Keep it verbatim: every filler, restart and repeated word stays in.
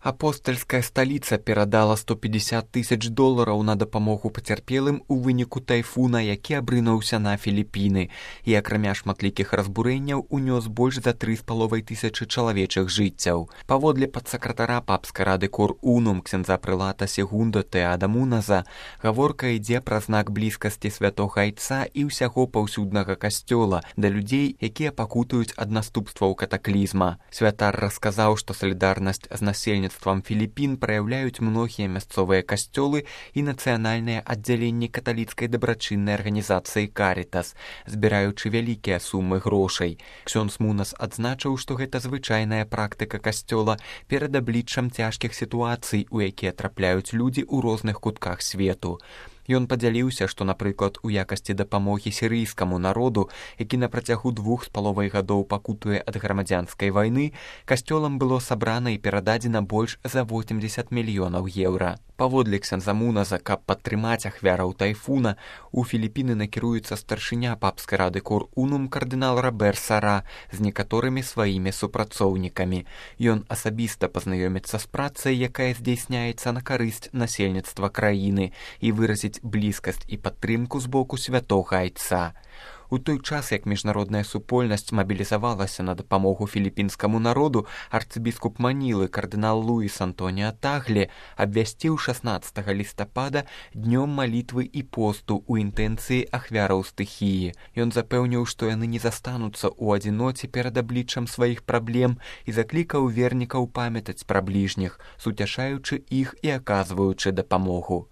Апостальская сталіца перадала сто пятьдесят тысяч долараў на дапамогу пацярпелым у выніку тайфуна, які абрынуўся на Філіпіны і акрамя шматлікіх разбурэнняў унёс больш за тры з паловай тысячы чалавечых жыццяў. Паводле падсакратара папскай рады Кор Унум ксяндза прылата Сегундо Теада Муназа, гаворка ідзе пра знак блізкасці святога айца і ўсяго паўсюднага касцёла да людзей, якія пакутаюць ад наступстваў катаклізма. Святар расказаў, што салідарнасць з насельніцтвам Філіпін праяўляюць многія мясцовыя касцёлы і нацыянальныя аддзяленні каталіцкай дабрачыннай арганізацыі Карітас, збіраючы вялікія сумы грошай. Ксёндз Мунас адзначыў, што гэта звычайная практыка касцёла перад абліччам цяжкіх сітуацый, у якія трапляюць людзі ў розных кутках свету. Ён падзяліўся, што, напрыклад, у якасці дапамогі сірыйскаму народу, які на працягу двух з паловай гадоў пакутуе ад грамадзянскай вайны, касцёлам было сабрана і перададзена больш за восемьдесят мільёнаў еўра. Паводле ксяндза Муназа, каб падтрымаць ахвяраў тайфуна, у Філіпіны накіруецца старшыня папскай рады Кор Унум кардынал Робер Сара з некаторымі сваімі супрацоўнікамі. Ён асабіста пазнаёміцца з працай, якая здзяйсняецца на карысць насельніцтва краіны, і выразіць блізкасць і падтрымку з боку святога айца. У той час, як міжнародная супольнасць мабілізавалася на дапамогу філіпінскаму народу, арцыбіскуп Манілы кардынал Луіс Антоніа Таглі абвясціў шаснаццатага лістапада днём малітвы і посту ў інтэнцыі ахвяраў стыхіі. Ён запэўніў, што яны не застануцца ў адзіноце перад абліччам сваіх праблем і заклікаў вернікаў памятаць пра бліжніх, суцяшаючы іх і аказваючы дапамогу.